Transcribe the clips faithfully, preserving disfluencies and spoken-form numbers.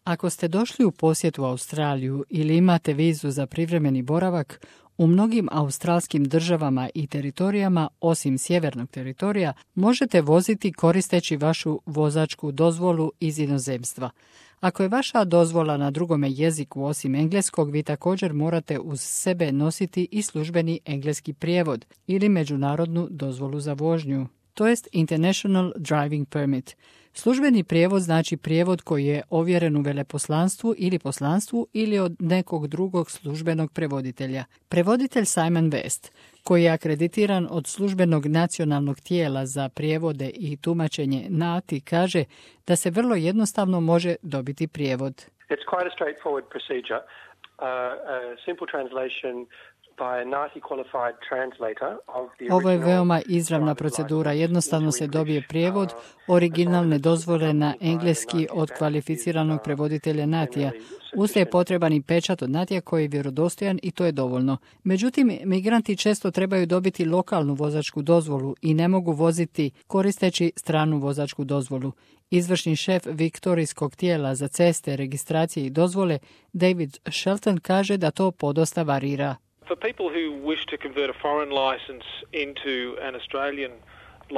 Ako ste došli u posjet u Australiju ili imate vizu za privremeni boravak, u mnogim australskim državama i teritorijama, osim sjevernog teritorija, možete voziti koristeći vašu vozačku dozvolu iz inozemstva. Ako je vaša dozvola na drugome jeziku osim engleskog, vi također morate uz sebe nositi i službeni engleski prijevod ili međunarodnu dozvolu za vožnju, to jest International Driving Permit. Službeni prijevod znači prijevod koji je ovjeren u veleposlanstvu ili poslanstvu ili od nekog drugog službenog prevoditelja. Prevoditelj Simon West, koji je akreditiran od službenog nacionalnog tijela za prijevode i tumačenje N A T I, kaže da se vrlo jednostavno može dobiti prijevod. It's quite a straightforward procedure. Uh, a simple translation by a N A T I qualified translator of the original. Ovo je veoma izravna procedura. Jednostavno se dobije prijevod originalne dozvole na engleski od kvalificiranog prevoditelja N A T I-a. Uz je potreban i pečat od N A T I-a koji je vjerodostojan i to je dovoljno. Međutim, migranti često trebaju dobiti lokalnu vozačku dozvolu i ne mogu voziti koristeći stranu vozačku dozvolu. Izvršni šef viktorijskog tijela za ceste, registracije i dozvole David Shelton kaže da to podosta varira. For people who wish to convert a foreign license into an Australian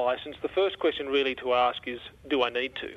license, the first question really to ask is, do I need to?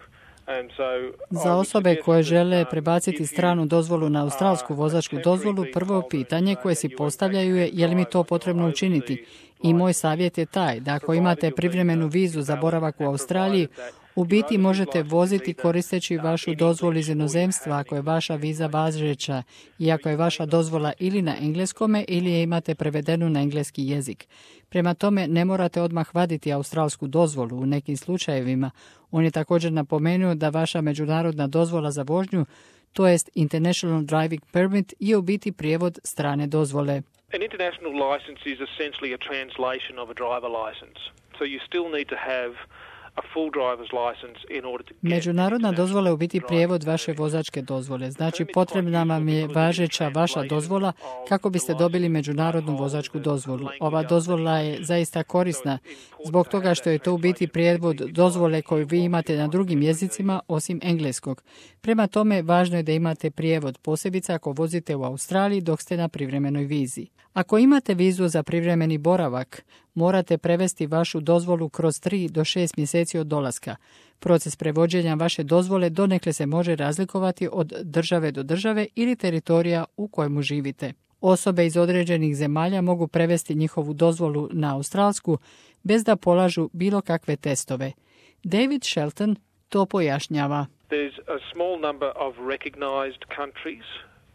And so, Za osobe koje žele prebaciti stranu dozvolu na australsku vozačku dozvolu, prvo pitanje koje si postavljaju je je li mi to potrebno učiniti. I moj savjet je taj da ako imate privremenu vizu za boravak u Australiji, u biti možete voziti koristeći vašu dozvolu iz inozemstva ako je vaša viza važeća i ako je vaša dozvola ili na engleskome ili je imate prevedenu na engleski jezik. Prema tome ne morate odmah vaditi australsku dozvolu u nekim slučajevima. On je također napomenuo da vaša međunarodna dozvola za vožnju, to jest International Driving Permit, je u biti prijevod strane dozvole. An international license is essentially a translation of a driver license. So you still need to have a full driver's license in order to get. Međunarodna dozvola je u biti prijevod vaše vozačke dozvole. Znači potrebna vam je važeća vaša dozvola kako biste dobili međunarodnu vozačku dozvolu. Ova dozvola je zaista korisna zbog toga što je to u biti prijevod dozvole koju vi imate na drugim jezicima osim engleskog. Prema tome važno je da imate prijevod, posebice ako vozite u Australiji dok ste na privremenoj vizi. Ako imate vizu za privremeni boravak, morate prevesti vašu dozvolu kroz tri do šest mjeseci od dolaska. Proces prevođenja vaše dozvole donekle se može razlikovati od države do države ili teritorija u kojemu živite. Osobe iz određenih zemalja mogu prevesti njihovu dozvolu na australsku bez da polažu bilo kakve testove. David Shelton to pojašnjava. There's a small number of recognized countries.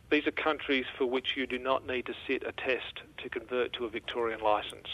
These are countries for which you do not need to sit a test to convert to a Victorian license.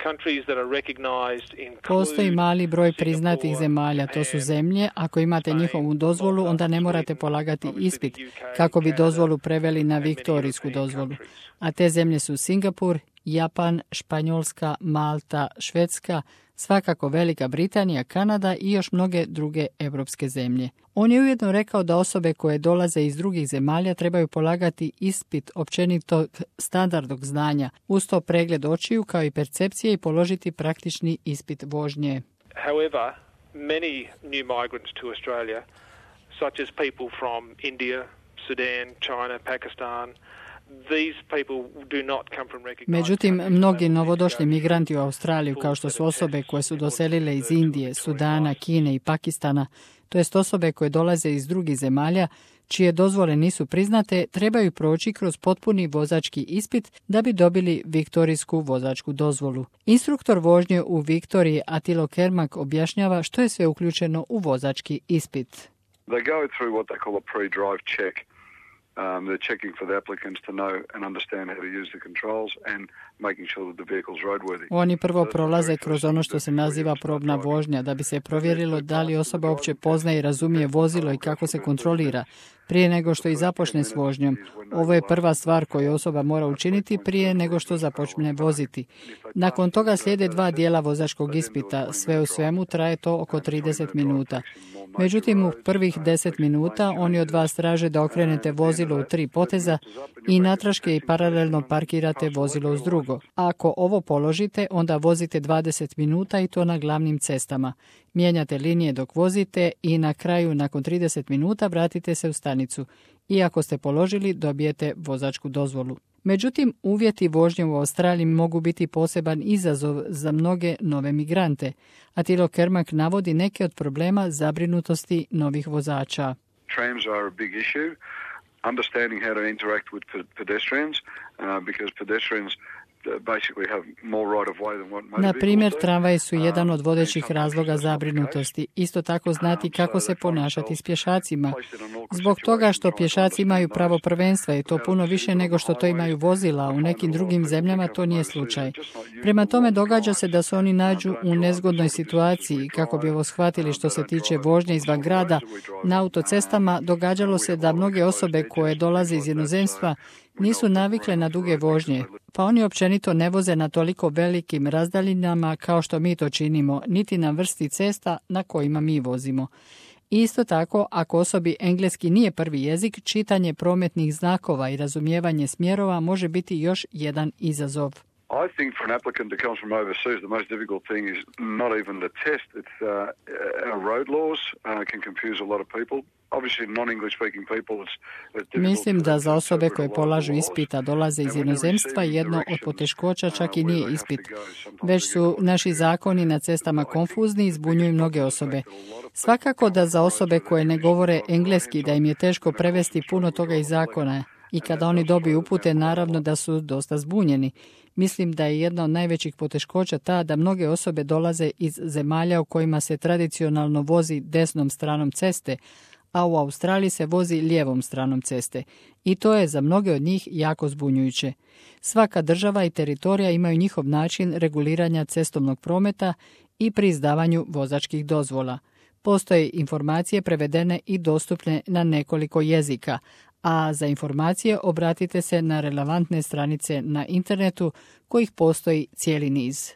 Countries that are recognized include Postoji mali broj priznatih zemalja, to su zemlje, ako imate njihovu dozvolu, onda ne morate polagati ispit kako bi dozvolu preveli na viktorijsku dozvolu. A te zemlje su Singapur, Japan, Španjolska, Malta, Švedska, svakako Velika Britanija, Kanada i još mnoge druge europske zemlje. On je ujedno rekao da osobe koje dolaze iz drugih zemalja trebaju polagati ispit općenitog standardnog znanja, uz to pregled očiju kao i percepcije i položiti praktični ispit vožnje. However, many new migrants to Australia, such as people from India, Sudan, China, Pakistan, Međutim, mnogi novodošli migranti u Australiju, kao što su osobe koje su doselile iz Indije, Sudana, Kine i Pakistana, to jest osobe koje dolaze iz drugih zemalja, čije dozvole nisu priznate, trebaju proći kroz potpuni vozački ispit da bi dobili viktorijsku vozačku dozvolu. Instruktor vožnje u Viktoriji Atilo Kermak objašnjava što je sve uključeno u vozački ispit. They go through what they call a pre-drive check. Um, they're checking for the applicants to know and understand how to use the controls and making sure that the vehicle's roadworthy. Oni prvo prolaze kroz ono što se naziva probna vožnja da bi se provjerilo da li osoba uopće poznaje i razumije vozilo i kako se kontrolira. prije nego što i započne s vožnjom. Ovo je prva stvar koju osoba mora učiniti prije nego što započne voziti. Nakon toga slijede dva dijela vozačkog ispita. Sve u svemu traje to oko trideset minuta. Međutim, u prvih deset minuta oni od vas traže da okrenete vozilo u tri poteza i natraške i paralelno parkirate vozilo uz drugo. Ako ovo položite, onda vozite dvadeset minuta i to na glavnim cestama. Mijenjate linije dok vozite i na kraju, nakon trideset minuta, vratite se u stanicu. I ako ste položili, dobijete vozačku dozvolu. Međutim, uvjeti vožnje u Australiji mogu biti poseban izazov za mnoge nove migrante. Attilo Kermak navodi neke od problema zabrinutosti novih vozača. Trams are a big issue. Understanding how to interact with pedestrians, uh, because pedestrians Na primjer, tramvaji su jedan od vodećih razloga zabrinutosti. Isto tako znati kako se ponašati s pješacima. Zbog toga što pješaci imaju pravo prvenstva i to puno više nego što to imaju vozila, u nekim drugim zemljama to nije slučaj. Prema tome događa se da se oni nađu u nezgodnoj situaciji. Kako bi ovo shvatili što se tiče vožnje izvan grada, na autocestama događalo se da mnoge osobe koje dolaze iz inozemstva nisu navikle na duge vožnje, pa oni općenito ne voze na toliko velikim razdaljinama kao što mi to činimo, niti na vrsti cesta na kojima mi vozimo. Isto tako, ako osobi engleski nije prvi jezik, čitanje prometnih znakova i razumijevanje smjerova može biti još jedan izazov. I think for an applicant that comes from overseas, the most difficult thing is not even the test. It's uh, our road laws uh, can confuse a lot of people. Mislim da za osobe koje polažu ispita dolaze iz inozemstva jedno od poteškoća čak i nije ispit. Već su naši zakoni na cestama konfuzni i zbunjuju mnoge osobe. Svakako da za osobe koje ne govore engleski da im je teško prevesti puno toga iz zakona i kada oni dobiju upute, naravno da su dosta zbunjeni. Mislim da je jedna od najvećih poteškoća ta da mnoge osobe dolaze iz zemalja u kojima se tradicionalno vozi desnom stranom ceste, a u Australiji se vozi lijevom stranom ceste. I to je za mnoge od njih jako zbunjujuće. Svaka država i teritorija imaju njihov način reguliranja cestovnog prometa i pri izdavanju vozačkih dozvola. Postoje informacije prevedene i dostupne na nekoliko jezika, a za informacije obratite se na relevantne stranice na internetu kojih postoji cijeli niz.